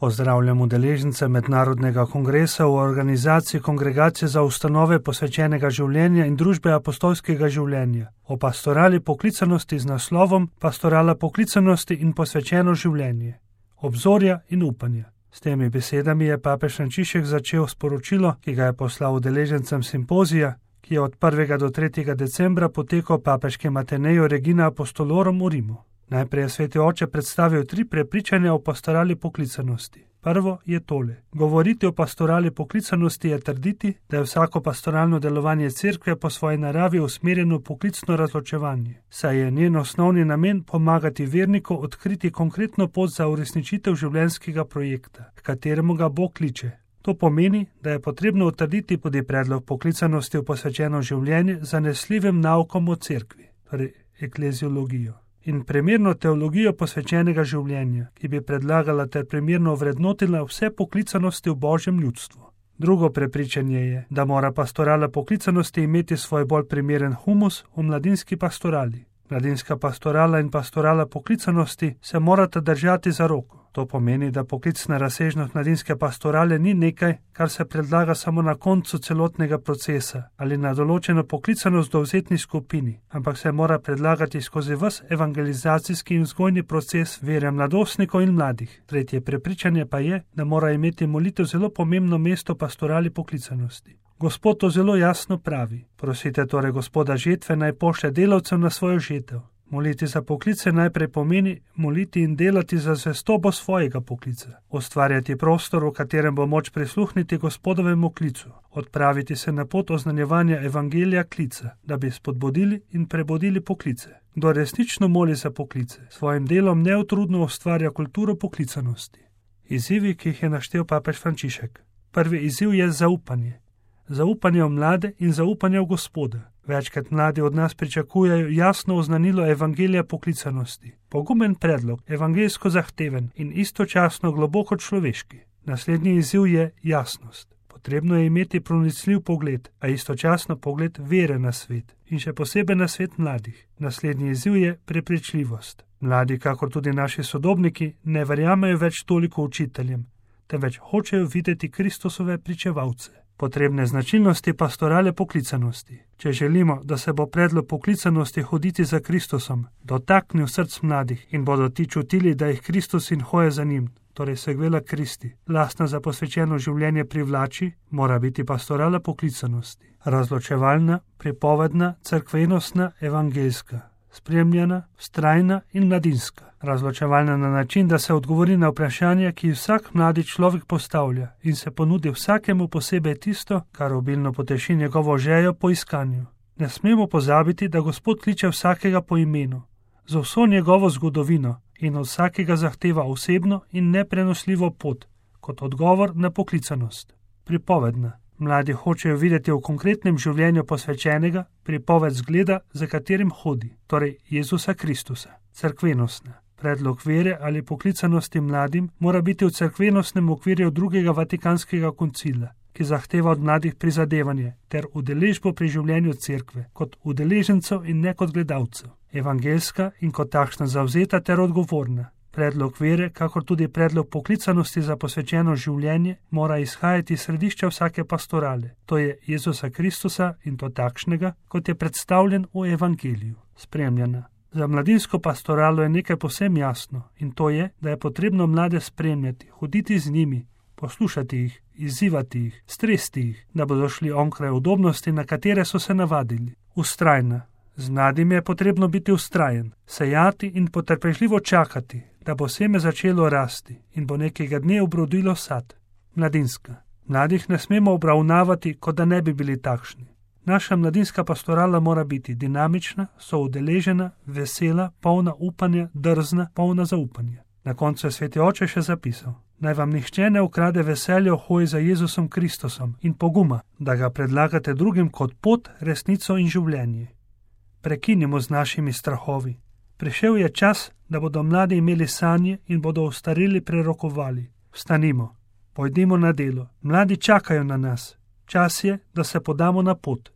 Pozdravljam udeležence Mednarodnega kongresa v organizaciji Kongregacije za ustanove posvečenega življenja in družbe apostolskega življenja o pastorali poklicanosti z naslovom Pastorala poklicanosti in posvečeno življenje, obzorja in upanja. S temi besedami je papež Frančišek začel sporočilo, ki ga je poslal udeležencem simpozija, ki je od 1. do 3. decembra potekal papeškem Ateneju Regina Apostolorum v Rimu. Najprej je sveti oče predstavil 3 prepričanja o pastorali poklicanosti. Prvo je tole. Govoriti o pastorali poklicanosti je trditi, da je vsako pastoralno delovanje cerkve po svoji naravi usmerjeno v poklicno razločevanje, saj je njen osnovni namen pomagati verniku odkriti konkretno pot za uresničitev življenjskega projekta, k kateremu ga Bog kliče. To pomeni, da je potrebno utrditi tudi predlog poklicanosti v posvečeno življenje z zanesljivim naukom o cerkvi, torej ekleziologijo, in primerno teologijo posvečenega življenja, ki bi predlagala ter primerno vrednotila vse poklicanosti v Božjem ljudstvu. Drugo prepričanje je, da mora pastorala poklicanosti imeti svoj bolj primeren humus v mladinski pastorali. Mladinska pastorala in pastorala poklicanosti se morata držati za roko. To pomeni, da poklicna razsežnost mladinske pastorale ni nekaj, kar se predlaga samo na koncu celotnega procesa ali na določeno poklicanost dovzetni skupini, ampak se mora predlagati skozi ves evangelizacijski in vzgojni proces vere mladostnikov in mladih. Tretje prepričanje pa je, da mora imeti molitev zelo pomembno mesto pastorali poklicanosti. Gospod to zelo jasno pravi. Prosite torej Gospoda žetve, naj pošlje delavcev na svojo žetev. Moliti za poklice najprej pomeni moliti in delati za zvestobo svojega poklica, ustvarjati prostor, v katerem bo moč prisluhniti Gospodovemu klicu, odpraviti se na pot oznanjevanja evangelija klica, da bi spodbudili in prebudili poklice. Kdo resnično moli za poklice, svojim delom neutrudno ustvarja kulturo poklicanosti. Izzivi, ki jih je naštel papež Frančišek. Prvi izziv je zaupanje. Zaupanje v mlade in zaupanje v Gospoda. Večkrat mladi od nas pričakujejo jasno oznanilo evangelija poklicanosti. Pogumen predlog, evangeljsko zahteven in istočasno globoko človeški. Naslednji izziv je jasnost. Potrebno je imeti pronicljiv pogled, a istočasno pogled vere na svet in še posebej na svet mladih. Naslednji izziv je prepričljivost. Mladi, kakor tudi naši sodobniki, ne verjamejo več toliko učiteljem, temveč hočejo videti Kristusove pričevalce. Potrebne značilnosti pastorale poklicanosti. Če želimo, da se bo predlog poklicanosti hoditi za Kristusom dotaknil src mladih in bodo ti čutili, da jih Kristus in hoje za njim, torej segvela Kristi, lastna za posvečeno življenje privlači, mora biti pastorala poklicanosti. Razločevalna, pripovedna, cerkvenostna, evangeljska, spremljena, vztrajna in mladinska. Razločevalna na način, da se odgovori na vprašanja, ki vsak mladi človek postavlja in se ponudi vsakemu posebej tisto, kar obilno poteši njegovo željo po iskanju. Ne smemo pozabiti, da Gospod kliče vsakega po imenu, za vso njegovo zgodovino in od vsakega zahteva osebno in neprenosljivo pot, kot odgovor na poklicanost. Pripovedna. Mladi hočejo videti v konkretnem življenju posvečenega pripoved zgleda, za katerim hodi, torej Jezusa Kristusa. Cerkvenostna. Predlog vere ali poklicanosti mladim mora biti v cerkvenostnem okvirju drugega Vatikanskega koncila, ki zahteva od mladih prizadevanje ter udeležbo pri življenju cerkve kot udeležencev in ne kot gledalcev. Evangeljska in kot takšna zavzeta ter odgovorna. Predlog vere, kakor tudi predlog poklicanosti za posvečeno življenje, mora izhajati iz središča vsake pastorale, to je Jezusa Kristusa in to takšnega, kot je predstavljen v evangeliju. Spremljena. Za mladinsko pastoralo je nekaj povsem jasno in to je, da je potrebno mlade spremljati, hoditi z njimi, poslušati jih, izzivati jih, stresti jih, da bodo šli onkraj udobnosti, na katere so se navadili. Vztrajna. Z mladim je potrebno biti vztrajen, sejati in potrpežljivo čakati, da bo seme začelo rasti in bo nekega dne obrodilo sad. Mladinska. Mladih ne smemo obravnavati, kot da ne bi bili takšni. Naša mladinska pastorala mora biti dinamična, soudeležena, vesela, polna upanja, drzna, polna zaupanja. Na koncu je sveti oče še zapisal: naj vam nihče ne ukrade veselja v hoji za Jezusom Kristusom in poguma, da ga predlagate drugim kot pot, resnico in življenje. Prekinimo z našimi strahovi. Prišel je čas, da bodo mladi imeli sanje in bodo ostareli prerokovali. Vstanimo, pojdimo na delo. Mladi čakajo na nas. Čas je, da se podamo na pot.